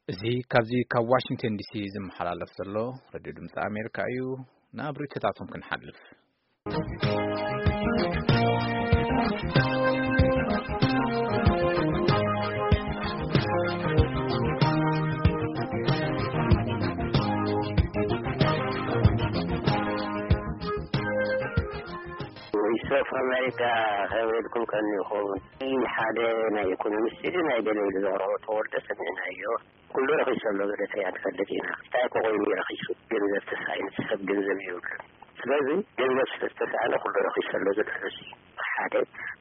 እዚ ካብዚ ካብ ዋሽንግተን ዲሲ ዝመሓላለፍ ዘሎ ሬድዮ ድምፂ ኣሜሪካ እዩ። ናብ ርእይቶታቶም ክንሓልፍ። ቮይስ ኦፍ ኣሜሪካ ከመይ ኢልኩም ቀኒኹም? ሓደ ናይ ኢኮኖሚስት ኢሉ ናይ ገለ ኢሉ ዘቕረቦ ተወርደ ሰሚዕናዮ። ኩሉ ረኺሱ ኣሎ፣ ገለ እንታይ ንፈልጥ ኢና። እንታይ እኮ ኮይኑ እዩ ረኺሱ? ገንዘብ ተሳኢኑ፣ ሰብ ገንዘብ የብሉን። ስለዚ ገንዘብ ስለ ዝተሳእነ ኩሉ ረኺሱ ኣሎ ዝብል ርእሲ ሓደ።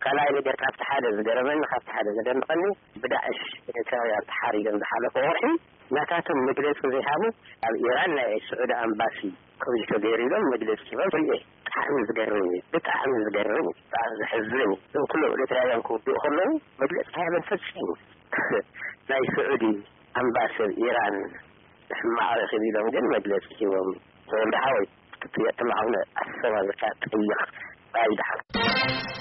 ካልኣይ ነገር፣ ካብቲ ሓደ ዝገረመኒ፣ ካብቲ ሓደ ዘደንቐኒ፣ ብዳዕሽ ኤርትራውያን ተሓሪዶም ዝሓለፈ ወርሒ ናታቶም መግለጺ ዘይሃቡ፣ ኣብ ኢራን ናይ ስዑዲ ኣምባሲ ከምዚ ተገይሩ ኢሎም መግለጺ ሂቦም ርእየ። ብጣዕሚ ዝገርም እዩ፣ ብጣዕሚ ዝገርም እዩ፣ ብጣዕሚ ዘሕዝን እዩ። እዞም ኩሎም ኤርትራውያን ክውድኡ ከለዉ መግለጺ ሃበን ፈጺሙ። ናይ ስዑዲ ኣምባሲ ኣብ ኢራን ሕማቕ ረኺቡ ኢሎም ግን መግለጺ ሂቦም። ተወልደ ሓወይ፣ ክትጥየቅ ከለኻ እውን ኣሰማምርካ ጠይቕ። ባይ ደሓን።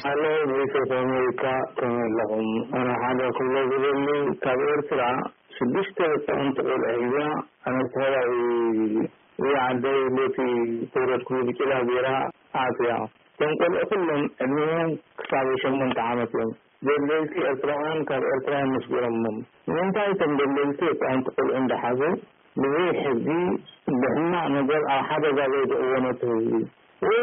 ኣሎ ቮይስ ኦፍ ኣሜሪካ፣ ከመይ ኣለኹም? ኣነ ሓደ ክብሎ ዝደሊ፣ ካብ ኤርትራ ሽዱሽተ ህፃውንቲ ቆልዑ ሒዛ፣ ኣነ ተኸባቢ ወይ ዓደይ ቦቲ ተወለድኩሉ ብጭላ ገይራ ኣትያ። እቶም ቆልዑ ኩሎም ዕድሜኦም ክሳብ ሸሞንተ ዓመት እዮም። ደለይቲ ኤርትራውያን ካብ ኤርትራ እዮም መስጊሮሞም። ንምንታይ እቶም ደለይቲ ህፃውንቲ ቆልዑ እንዳሓዙ ብዘይ ሕጊ ብሕማቕ ነገር ኣብ ሓደጋ ዘውድቕዎ ነቲ ህዝቢ? ወይ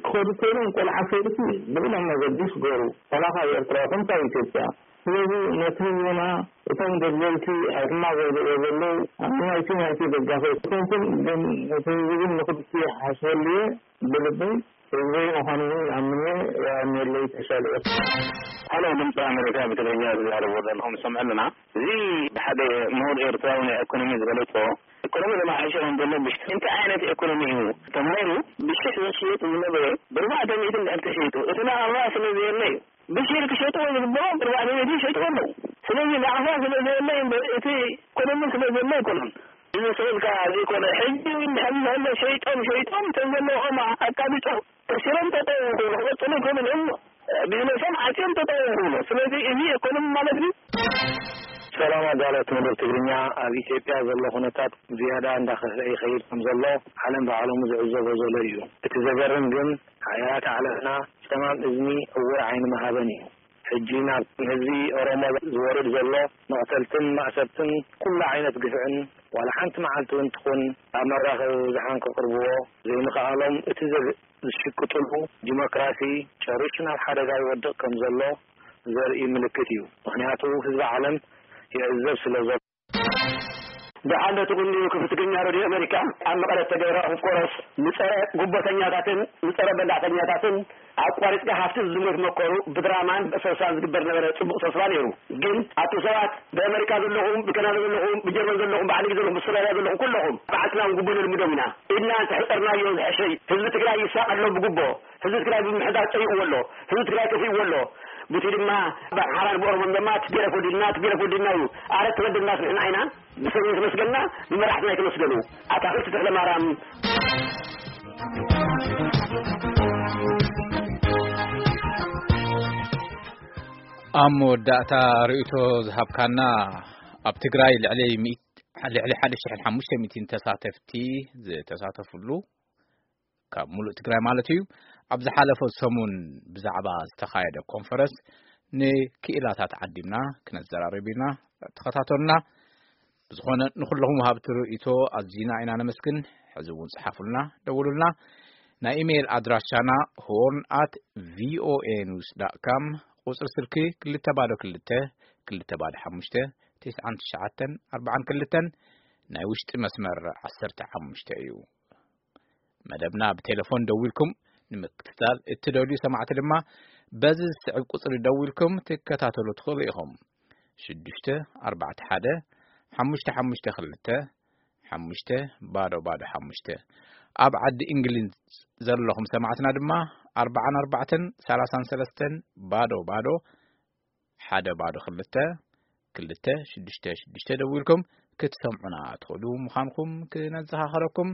ክኸዱ ኮይኖም ቆልዓ ፈይድቲ ብቕደም መገዲ ይስገሩ፣ ዋላ ካብ ኤርትራ ይኹን ካብ ኢትዮጵያ። ስለዚ ነቲ ህዝብና እቶም ደለይቲ ሕማቕ ዘውድቕዎ ዘለዉ ናይቲ ናይቲ ደጋፊ ኣይኮንኩን፣ ግን እቲ ህዝቢ ግን ንኽልቲኡ ይሓስበሉ እየ ብልበይ። ህዝበይ ምዃኑ እውን ይኣምን እየ። የቐንየለይ። ተሻለ። ሃሎ፣ ድምፂ ኣሜሪካ ብትግርኛ ዝዛረቡ ዘለኹም ዝሰምዑ ኣለና። እዚ ብሓደ ምሁር ኤርትራዊ ናይ ኢኮኖሚ ዝገለጾ፣ ኢኮኖሚ ተመሓይሹ ከም ዘሎ ብሽ-፣ እንታይ ዓይነት ኢኮኖሚ እዩ? ተማሂሩ ብሽሕ ዝሽየጥ ዝነበረ ብኣርባዕተ ሚእቲ እንድሕር ተሸይጡ፣ እቲ ናቕፋ ስለ ዘየለ እዩ። ብሽሕ ክሸጥዎ ዝግብኦም ብኣርባዕተ ሚእቲ ይሸጥዎ ኣለዉ። ስለዚ ናቕፋ ስለ ዘየለ እዩ እምበር እቲ ኢኮኖሚ ስለ ዘሎ ኣይኮነን። እዚ ስእልካ ዘይኮነ፣ ሕጂ እውን ድሕሪ ዘሎ ሸይጦም፣ ሸይጦም፣ እቶም ዘለዎም ኣቃቢጦም፣ ከሲሮም ጠጠው ይኹኑ፣ ክቐጽሉ ይኽእሉ እዮም። ቢዝነሶም ዓጽዮም ጠጠው ይኹኑ። ስለዚ እዚ ኢኮኖሚ ማለት እዩ። ሰላም ኣዳለውቲ መደብ ትግርኛ፣ ኣብ ኢትዮጵያ ዘሎ ኩነታት ዝያዳ እንዳኸፍአ ይኸይድ ከም ዘሎ ዓለም ብዓለሙ ዝዕዘቦ ዘሎ እዩ። እቲ ዘገርም ግን ሓያላት ዓለምና ጸማም እዝኒ ዕውር ዓይኒ ምሃበን እዩ። ሕጂ ናብ ህዝቢ ኦሮሞ ዝወርድ ዘሎ መቕተልትን ማእሰርትን ኩሉ ዓይነት ግፍዕን ዋላ ሓንቲ መዓልቲ እውን ትኹን ኣብ መራኸቢ ብዙሓን ከቕርብዎ ዘይምኽኣሎም እቲ ዘግ-፣ ዝሽቅጥሉ ዲሞክራሲ ጨሪሹ ናብ ሓደጋ ይወድቕ ከም ዘሎ ዘርኢ ምልክት እዩ። ምኽንያቱ ህዝቢ ዓለም ይዕዘብ ስለ ዘሎ። ደሓን ዶ ትቕንዩ? ክፍሊ ትግርኛ ሬድዮ ኣሜሪካ። ኣብ መቐለ እተገብረ ኮንፈረንስ ንጸረ ጉቦተኛታትን ንጸረ በላዕተኛታትን ኣቋሪጽካ፣ ሃፍቲ ዝዝመት መከሩ ብድራማን ብእሰሳን ዝግበር ነበረ ጽቡቕ ተስፋ ነይሩ። ግን ኣቱም ሰባት ብኣመሪካ ዘለኹም፣ ብካናዳ ዘለኹም፣ ብጀርመን ዘለኹም፣ ብዓዲ ዘለኹም፣ ብኣውስትራልያ ዘለኹም፣ ኩለኹም በዓልትና እውን ጉቦ ነልምዶም ኢና ኢልና እንተሕጸርናዮ ዝሕሸ እዩ። ህዝቢ ትግራይ ይሳቐ ኣሎ ብጉቦ። ህዝቢ ትግራይ ብምሕዳር ጸይቕዎ ኣሎ። ህዝቢ ትግራይ ጠፊእዎ ኣሎ። ብቲ ድማ ብኣምሓራን ብኦሮሞን ድማ ትቤለፍ ወዲልና፣ ትቤለፍ ወዲልና እዩ። ኣረ ተበደልናስ ንሕና ኢና። ብሰብ የተመስገንና፣ ብመራሕትና የተመስገኑ። ኣታኽልቲ ተኽለ ማርያም። ኣብ መወዳእታ ርእይቶ ዝሃብካና፣ ኣብ ትግራይ ልዕሊ ሚእቲ፣ ልዕሊ ሓደ ሽሕን ሓሙሽተ ሚእትን ተሳተፍቲ ዝተሳተፍሉ ካብ ሙሉእ ትግራይ ማለት እዩ። ኣብ ዝሓለፈ ሰሙን ብዛዕባ ዝተኻየደ ኮንፈረንስ ንክኢላታት ዓዲምና ክነዘራርብ ኢና። ተኸታተሉና። ብዝኾነ ንኹለኹም ወሃብቲ ርእይቶ ኣዚና ኢና ነመስግን። ሕዚ እውን ጽሓፉልና፣ ደውሉልና። ናይ ኢሜይል ኣድራሻና ሆርን ኣት ቪኦኤ ኒውስ ዳት ካም፣ ቁጽሪ ስልኪ ክልተ ባዶ ክልተ፣ ክልተ ባዶ ሓሙሽተ፣ ትስዓን ትሽዓተን ኣርባዓን ክልተን፣ ናይ ውሽጢ መስመር ዓሰርተ ሓሙሽተ እዩ። መደብና ብቴሌፎን ደዊልኩም ንምክትታል እትደልዩ ሰማዕቲ ድማ በዚ ዝስዕብ ቁጽሪ ደዊልኩም ትከታተሉ ትኽእሉ ኢኹም። ሽዱሽተ ኣርባዕተ ሓደ ሓሙሽተ ሓሙሽተ ክልተ ሓሙሽተ ባዶ ባዶ ሓሙሽተ። ኣብ ዓዲ እንግሊዝ ዘለኹም ሰማዕትና ድማ ኣርባዓን ኣርባዕተን ሰላሳን ሰለስተን ባዶ ባዶ ሓደ ባዶ ክልተ ክልተ ሽዱሽተ ሽዱሽተ ደዊልኩም ክትሰምዑና ትኽእሉ ምዃንኩም ክነዘኻኽረኩም።